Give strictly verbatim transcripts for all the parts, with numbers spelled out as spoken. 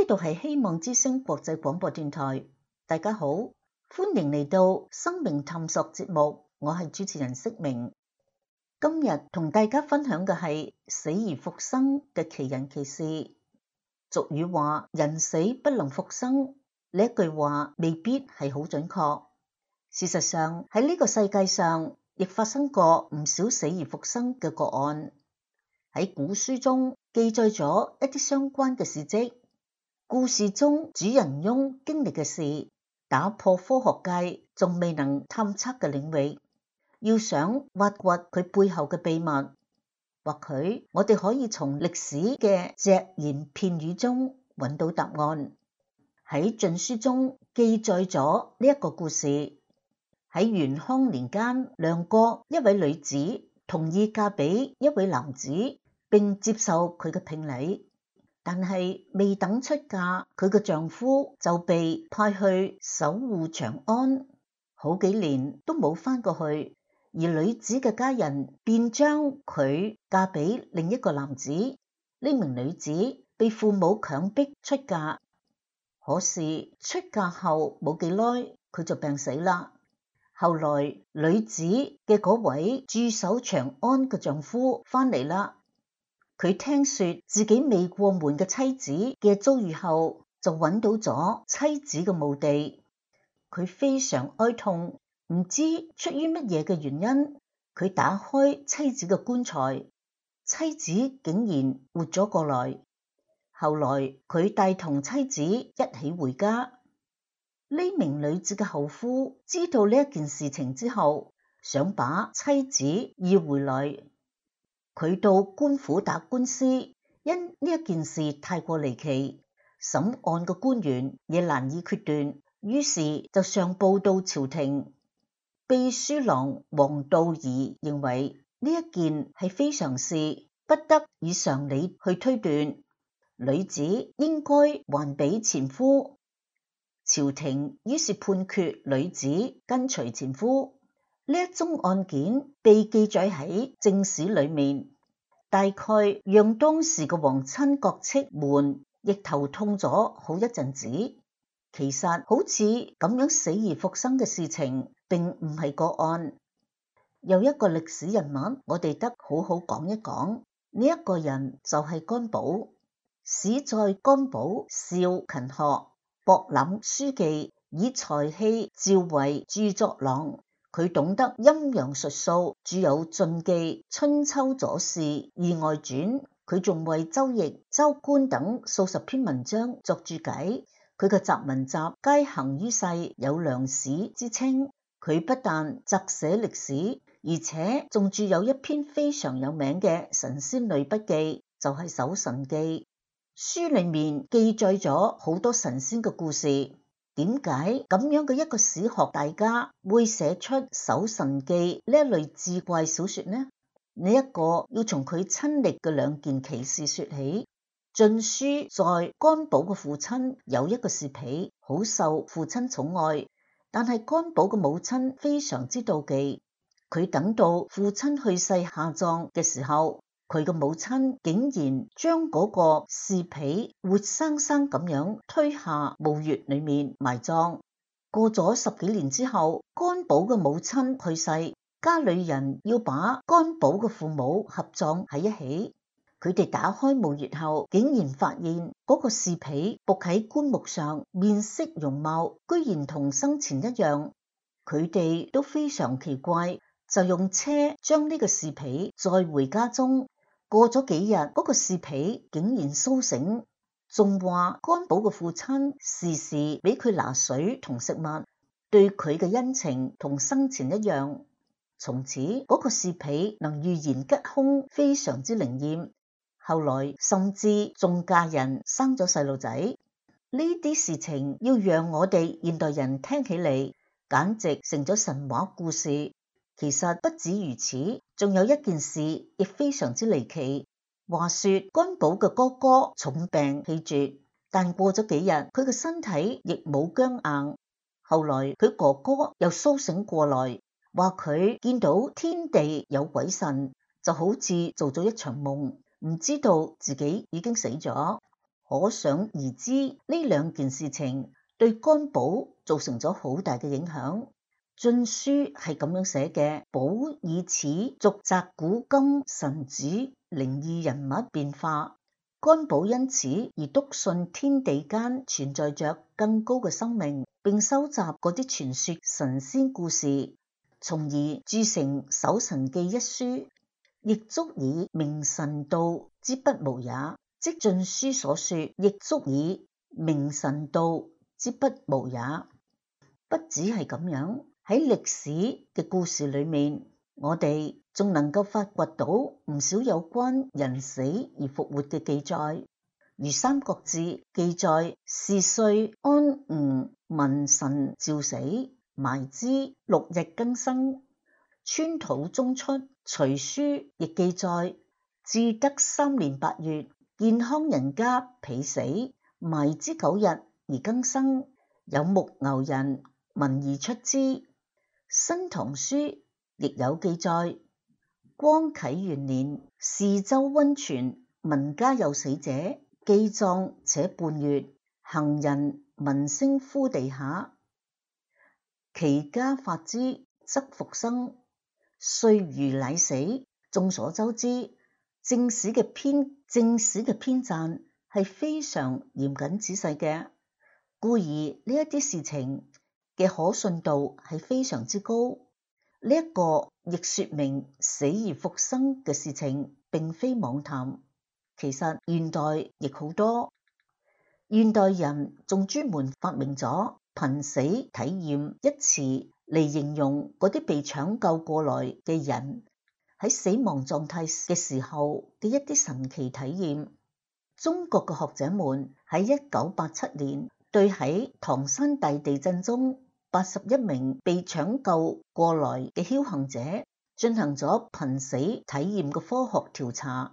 度係希望之聲國際廣播電台，大家好，歡迎嚟到生命探索節目，我係主持人釋明。今日同大家分享嘅係死而復生嘅奇人奇事。俗語話人死不能復生，呢一句話未必係好準確。事實上喺呢個世界上亦發生過唔少死而復生嘅個案。喺古書中記載咗一啲相關嘅事蹟，故事中主人翁經歷嘅事，打破科學界仲未能探測嘅領域。要想挖掘佢背後嘅秘密，或許我哋可以從歷史嘅隻言片語中揾到答案。喺晉書中記載咗呢一個故事。喺元康年間，梁國一位女子同意嫁俾一位男子，並接受佢嘅聘禮，但係未等出嫁，佢嘅丈夫就被派去守護長安，好幾年都冇返過去，而女子嘅家人便將佢嫁俾另一個男子。呢名女子被父母強迫出嫁，可是出嫁後冇幾耐，佢就病死啦。後來女子嘅嗰位駐守長安嘅丈夫返嚟啦，佢聽說自己未過門嘅妻子嘅遭遇後，就揾到咗妻子嘅墓地。佢非常哀痛，唔知出於乜嘢嘅原因，佢打開妻子嘅棺材，妻子竟然活咗過來。後來佢帶同妻子一起回家。呢名女子嘅後夫知道呢一件事情之後，想把妻子要回來。佢到官府打官司，因呢一件事太過離奇，審案嘅官員也難以決斷，於是就上報到朝廷。秘書郎王道儀認為呢一件係非常事，不得以常理去推斷，女子應該還俾前夫。朝廷於是判決女子跟隨前夫。呢一宗案件被記載喺正史裏面，大概讓當時嘅皇親國戚們亦頭痛咗好一陣子。其實好似咁樣死而復生嘅事情並唔係個案。有一個歷史人物我哋得好好講一講，呢一個人就係干寶。史在干寶少勤學，博覽書記，以才氣召為著作郎。佢懂得陰陽術數，著有《晉記》《春秋左氏》《義外傳》。佢仲為《周易》《周官》等數十篇文章作注解。佢嘅雜文集皆行於世，有良史之稱。佢不但擇寫歷史，而且仲著有一篇非常有名嘅神仙類筆記，就係《搜神記》。書裏面記載咗好多神仙嘅故事。點解咁樣嘅一個史學大家會寫出《搜神記》呢一類志怪小說呢？呢一個要從佢親歷嘅兩件奇事說起。晉書在干寶嘅父親有一個侍婢，好受父親寵愛，但係干寶嘅母親非常之妒忌。佢等到父親去世下葬嘅時候，佢嘅母親竟然將嗰個侍婢活生生咁樣推下墓穴裏面埋葬。過咗十幾年之後，干寶嘅母親去世，家裏人要把干寶嘅父母合葬喺一起。佢哋打開墓穴後，竟然發現嗰個侍婢伏喺棺木上，面色容貌居然同生前一樣。佢哋都非常奇怪，就用車將呢個侍婢載回家中。過咗幾日，嗰個侍婢竟然蘇醒，仲話干寶嘅父親時時俾佢拿水同食物，對佢嘅恩情同生前一樣。從此嗰個侍婢能預言吉凶，非常之靈驗。後來甚至仲嫁人生咗細路仔。呢啲事情要讓我哋現代人聽起嚟，簡直成咗神話故事。其實不止如此，仲有一件事亦非常之離奇。話說干寶嘅哥哥重病氣絕，但過咗幾日，佢嘅身體亦冇僵硬。後來佢哥哥又蘇醒過來，話佢見到天地有鬼神，就好似做咗一場夢，唔知道自己已經死咗。可想而知呢兩件事情對干寶造成咗好大嘅影響。晉書係咁樣寫嘅：寶以此續摘古今神主靈異人物變化，干寶因此而篤信天地間存在着更高嘅生命，並收集嗰啲傳說神仙故事，從而著成《搜神記》一書，亦足以明神道之不無也。即晉書所說，亦足以明神道之不無也。不只係咁樣，喺歷史嘅故事裏面，我哋仲能夠發掘到唔少有關人死而復活嘅記載，如《三國志》記載是歲安吳文神召死，埋之六日更生。川土中出隋書亦記載至德三年八月，健康人家被死，埋之九日而更生，有牧牛人聞而出之。新唐書亦有記載，光啟元年，泗州温泉聞家有死者，既葬且半月，行人聞聲呼地下，其家發之，則復生，歲餘乃死。眾所周知，正史嘅編正史嘅編撰係非常嚴謹仔細嘅，故而呢一啲事情嘅可信度係非常之高。呢、這、一個亦說明死而復生嘅事情並非妄談。其實現代亦好多，現代人仲專門發明咗瀕死體驗一詞嚟形容嗰啲被搶救過來嘅人喺死亡狀態嘅時候嘅一啲神奇體驗。中國嘅學者們喺一九八七年對喺唐山大地震中八十一名被搶救過來嘅僥倖者進行咗瀕死體驗嘅科學調查，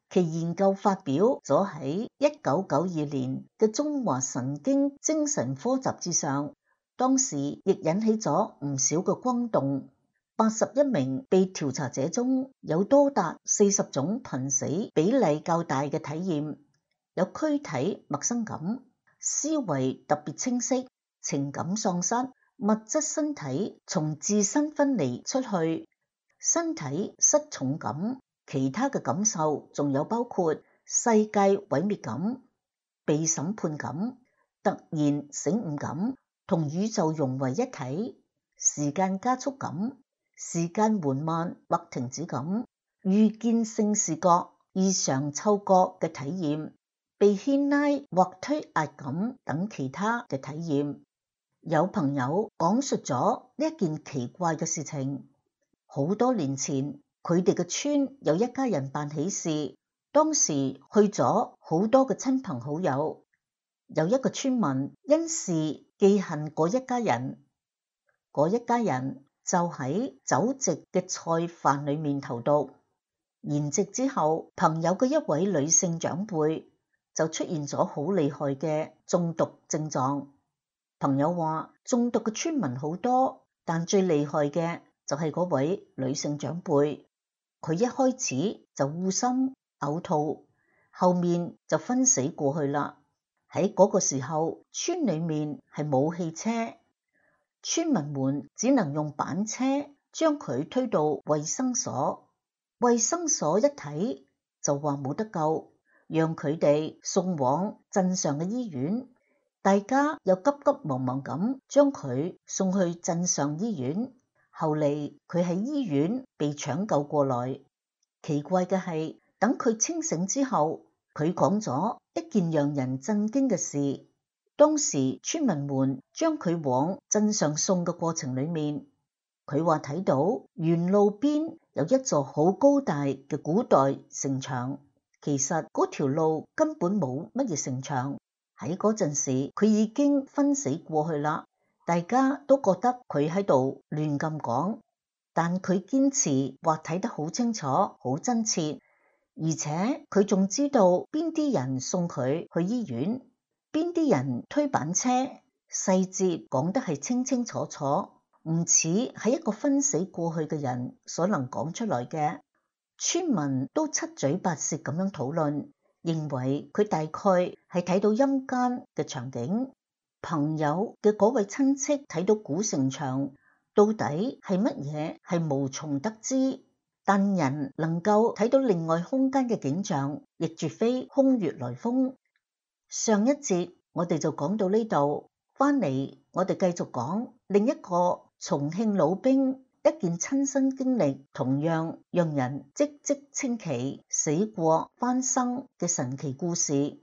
其研究發表咗喺一九九二年嘅中華神經精神科雜誌上，當時亦引起咗唔少嘅轟動。八十一名被調查者中有多達四十種瀕死比例較大嘅體驗，有軀體陌生感、思維特別清晰、情感喪失、物質身體從自身分離出去、身體失重感。其他嘅感受仲有包括世界毀滅感、被審判感、突然醒悟感、同宇宙融為一體、時間加速感、時間緩慢或停止感、預見性視覺、異常嗅覺嘅體驗、被牽拉或推壓感等其他嘅體驗。有朋友講述咗呢一件奇怪嘅事情，好多年前佢哋嘅村有一家人辦喜事，當時去咗好多嘅親朋好友，有一個村民因事記恨嗰一家人，嗰一家人就喺酒席嘅菜飯裏面投毒，筵席之後，朋友嘅一位女性長輩就出現咗好厲害嘅中毒症狀。朋友話中毒嘅村民好多，但最厲害嘅就係嗰位女性長輩，佢一開始就噁心嘔吐，後面就昏死過去啦。喺嗰個時候，村裏面係冇汽車，村民們只能用板車將佢推到衛生所，衛生所一睇就話冇得救，讓佢哋送往鎮上嘅醫院。大家又急急忙忙咁將佢送去鎮上醫院，後嚟佢喺醫院被搶救過來。奇怪嘅係，等佢清醒之後，佢講咗一件讓人震驚嘅事。當時村民們將佢往鎮上送嘅過程裏面，佢話睇到沿路邊有一座好高大嘅古代城牆，其實嗰條路根本冇乜嘢城牆。喺嗰陣時，佢已經昏死過去啦。大家都覺得佢喺度亂咁講，但佢堅持話睇得好清楚、好真切，而且佢仲知道邊啲人送佢去醫院，邊啲人推板車，細節講得係清清楚楚，唔似係一個昏死過去嘅人所能講出來嘅。村民都七嘴八舌咁樣討論，認為佢大概係睇到陰間嘅場景。朋友嘅嗰位親戚睇到古城牆到底係乜嘢係無從得知，但人能夠睇到另外空間嘅景象，亦絕非空穴來風。上一節我哋就講到呢度，翻嚟我哋繼續講另一個重慶老兵一件親身經歷，同樣讓人嘖嘖稱奇、死過翻生嘅神奇故事。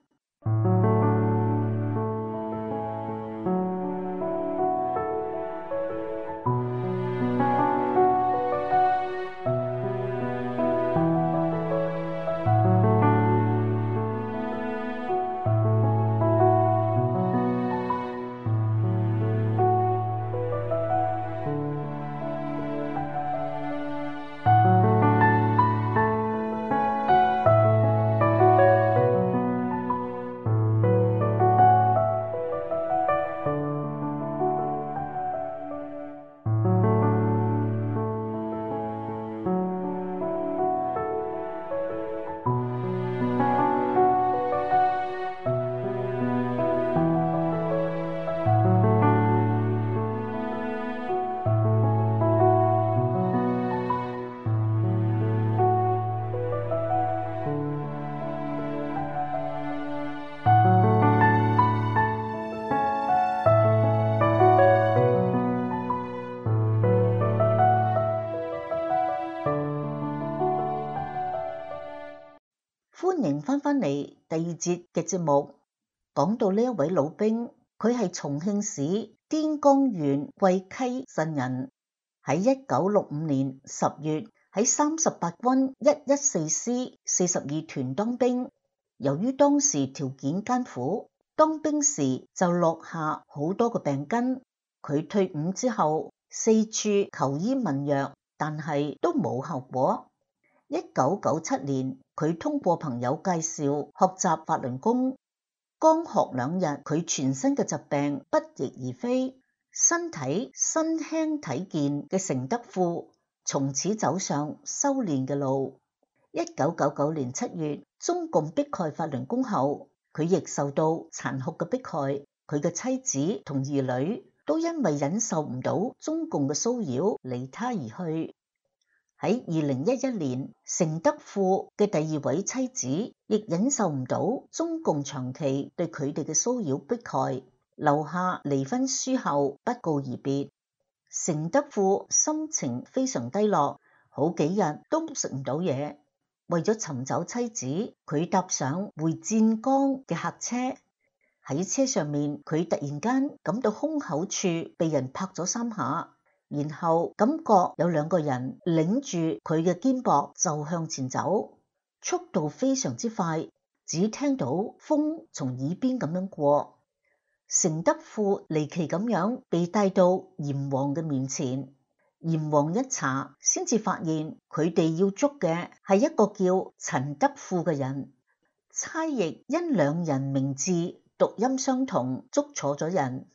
歡迎翻返嚟第二節嘅節目，講到呢一位老兵，佢係重慶市顛江縣貴溪鎮人，喺一九六五年十月喺三十八軍一一四師四十二團當兵。由於當時條件艱苦，當兵時就落下好多個病根。佢退伍之後四處求醫問藥，但係都冇效果。一九九七年，佢通過朋友介紹學習法輪功，剛學兩日，佢全身嘅疾病不翼而飛，身體身輕體健嘅成德富從此走上修煉嘅路。一九九九年七月，中共迫害法輪功後，佢亦受到殘酷嘅迫害，佢嘅妻子同兒女都因為忍受唔到中共嘅騷擾，離他而去。喺二零一一年，成德富嘅第二位妻子亦忍受唔到中共長期對佢哋嘅騷擾迫害，留下離婚書後不告而別。成德富心情非常低落，好幾日都食唔到嘢。為咗尋找妻子，佢搭上回湛江嘅客車。喺車上面，佢突然間感到胸口處被人拍咗三下，然後感覺有兩個人領住佢嘅肩膊就向前走，速度非常之快，只聽到風從耳邊咁樣過。成德富離奇咁樣被帶到閻王嘅面前，閻王一查先至發現佢哋要捉嘅係一個叫陳德富嘅人。差役因兩人名字讀音相同，捉錯咗人。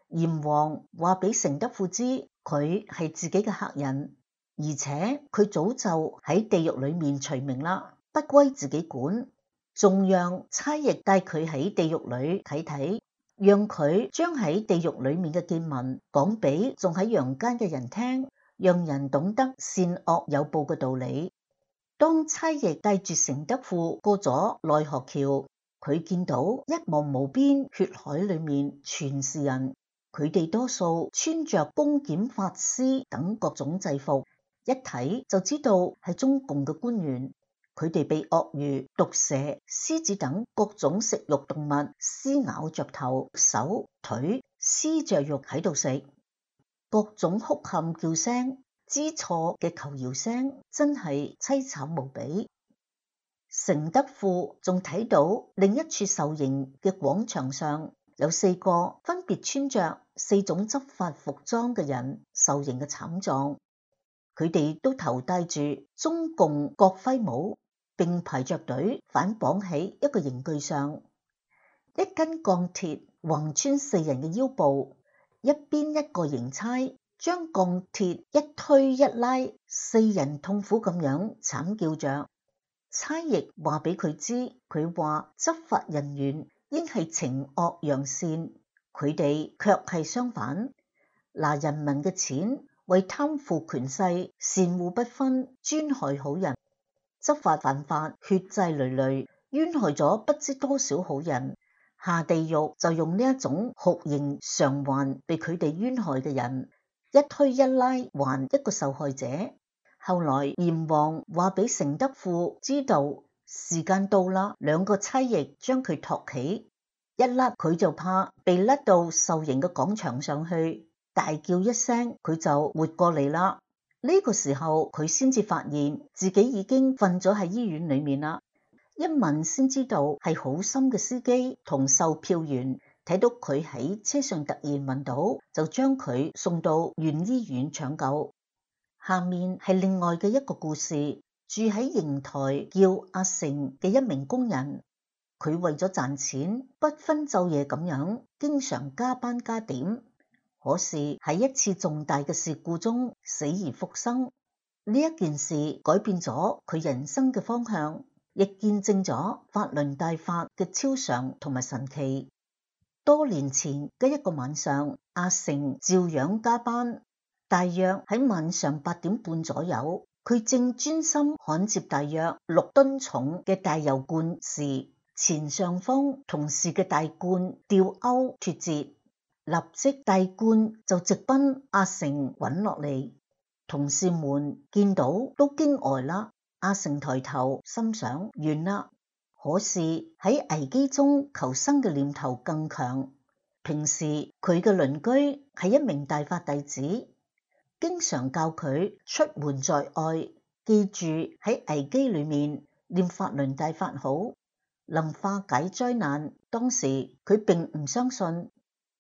閻王話俾成德富知，佢係自己嘅客人，而且佢早就喺地獄裏面除名啦，不歸自己管，仲讓差役帶佢喺地獄裏睇睇，讓佢將喺地獄裏面嘅見聞講俾仲喺陽間嘅人聽，讓人懂得善惡有報嘅道理。當差役帶住成德富過咗奈何橋，佢見到一望無邊血海裏面全是人。佢哋多數穿着公檢法師等各種制服，一睇就知道係中共嘅官員。佢哋被鱷魚、毒蛇、獅子等各種食肉動物撕咬着頭、手、腿，撕着肉喺度食。各種哭喊叫聲、知錯嘅求饒聲，真係淒慘無比。成德富仲睇到另一處受刑嘅廣場上，有四個分別穿着四種執法服裝嘅人受刑嘅慘狀，佢哋都頭戴住中共國徽帽，並排着隊反綁喺一個刑具上。一根鋼鐵橫穿四人嘅腰部，一邊一個刑差將鋼鐵一推一拉，四人痛苦咁樣慘叫着。差役話俾佢知，佢話執法人員應係懲惡揚善，佢哋卻係相反，拿人民嘅錢為貪腐權勢，善惡不分，專害好人，執法犯法，血債累累，冤害咗不知多少好人，下地獄就用呢一種酷刑償還被佢哋冤害嘅人，一推一拉還一個受害者。後來閻王話俾成德富知道時間到啦，兩個差役將佢托起，一甩佢就怕被甩到受刑嘅廣場上去，大叫一聲佢就活過嚟啦。呢個時候佢先至發現自己已經瞓咗喺醫院裏面啦。一問先知道係好心嘅司機同售票員睇到佢喺車上突然暈倒，就將佢送到縣醫院搶救。下面係另外嘅一個故事，住喺邢台叫阿成嘅一名工人，佢為咗賺錢不分晝夜咁樣經常加班加點，可是喺一次重大嘅事故中死而復生。呢一件事改變咗佢人生嘅方向，亦見證咗法輪大法嘅超常同埋神奇。多年前嘅一個晚上，阿成照樣加班，大約喺晚上八點半左右，佢正專心焊接大約六噸重嘅大油罐時，前上方同事嘅大罐吊鈎脫節，立即大罐就直奔阿成滾落嚟。同事們見到都驚呆啦。阿成抬頭心想完啦，可是喺危機中求生嘅念頭更強。平時佢嘅鄰居係一名大法弟子，經常教佢出門在外，記住喺危機裏面念法輪大法好，能化解災難。當時佢並唔相信，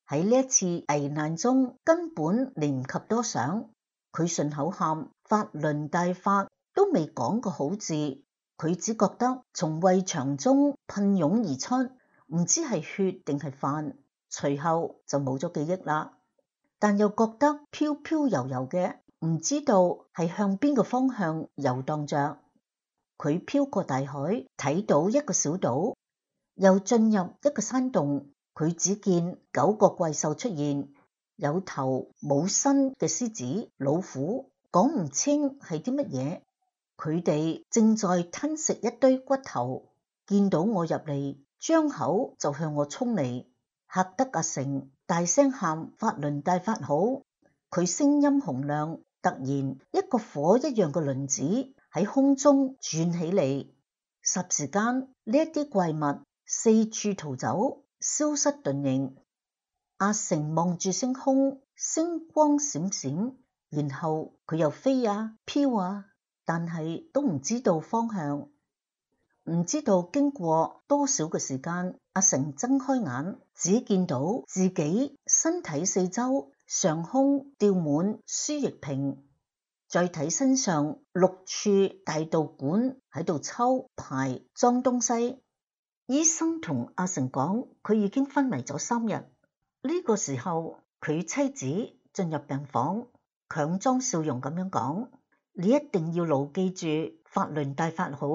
喺呢一次危難中根本嚟唔及多想，佢順口喊法輪大法都未講個好字，佢只覺得從胃腸中噴湧而出，唔知係血定係飯，隨後就冇咗記憶啦。但又覺得飄飄悠悠嘅，唔知道係向邊個方向遊蕩着。佢飄過大海，睇到一個小島，又進入一個山洞，佢只見九個怪獸出現，有頭冇身嘅獅子、老虎，講唔清係啲乜嘢。佢哋正在吞食一堆骨頭，見到我入嚟，張口就向我衝嚟，嚇得阿成大聲喊法輪大法好。佢聲音洪亮，突然一個火一樣嘅輪子喺空中轉起嚟，霎時間呢一啲怪物四處逃走，消失遁形。阿成望住星空，星光閃閃，然後佢又飛啊飄啊，但係都唔知道方向。唔知道經過多少嘅時間，阿成睜開眼，只見到自己身體四周上空吊滿輸液瓶，再睇身上六處大導管喺度抽排裝東西。醫生同阿成講，佢已經昏迷咗三日。呢個時候，佢妻子進入病房，強裝笑容咁樣講：你一定要牢記住法輪大法好，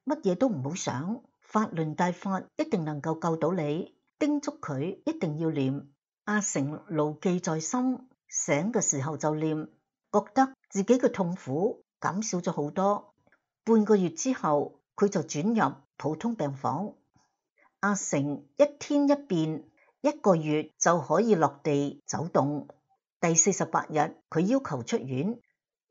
乜嘢都唔好想，法輪大法一定能夠救到你，叮囑佢一定要念。阿成牢記在心，醒嘅時候就念，覺得自己嘅痛苦減少咗好多。半個月之後，佢就轉入普通病房。阿成一天一變，一個月就可以落地走動。第四十八日，佢要求出院，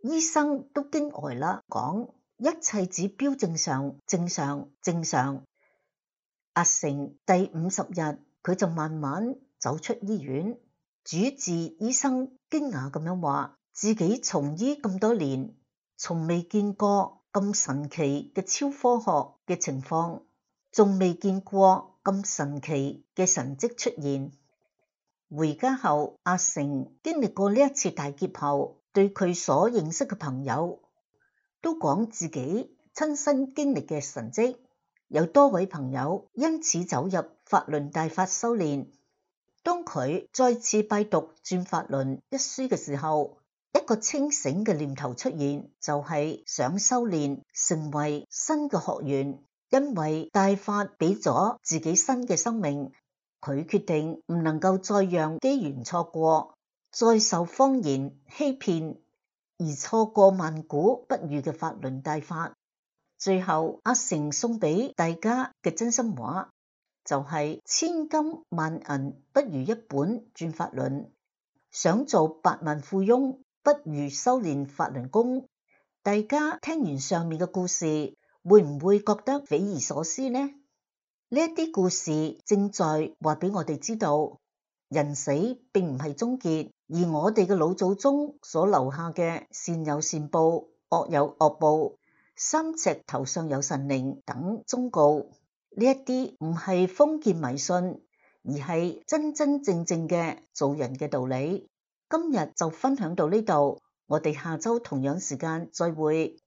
醫生都驚呆啦，講一切指標正常，正常，正常。阿成第五十日，佢就慢慢走出醫院。主治醫生驚訝咁樣話，自己從醫咁多年，從未見過咁神奇嘅超科學嘅情況，仲未見過咁神奇嘅神蹟出現。回家後，阿成經歷過呢一次大劫後，對佢所認識嘅朋友都講自己親身經歷嘅神蹟，有多位朋友因此走入法輪大法修煉。當佢再次拜讀《轉法輪》一書嘅時候，一個清醒嘅念頭出現，就係想修煉成為新嘅學員，因為大法俾咗自己新嘅生命，佢決定唔能夠再讓機緣錯過，再受謊言欺騙，而錯過萬古不遇嘅法輪大法。最後阿成送俾大家嘅真心話就係千金萬銀不如一本轉法輪，想做百萬富翁不如修煉法輪功。大家聽完上面嘅故事，會唔會覺得匪夷所思呢？呢一啲故事正在話俾我哋知道，人死並唔係終結，而我哋嘅老祖宗所留下嘅善有善報，惡有惡報，三尺頭上有神靈等忠告，呢一啲唔係封建迷信，而係真真正正嘅做人嘅道理。今日就分享到呢度，我哋下周同樣時間再會。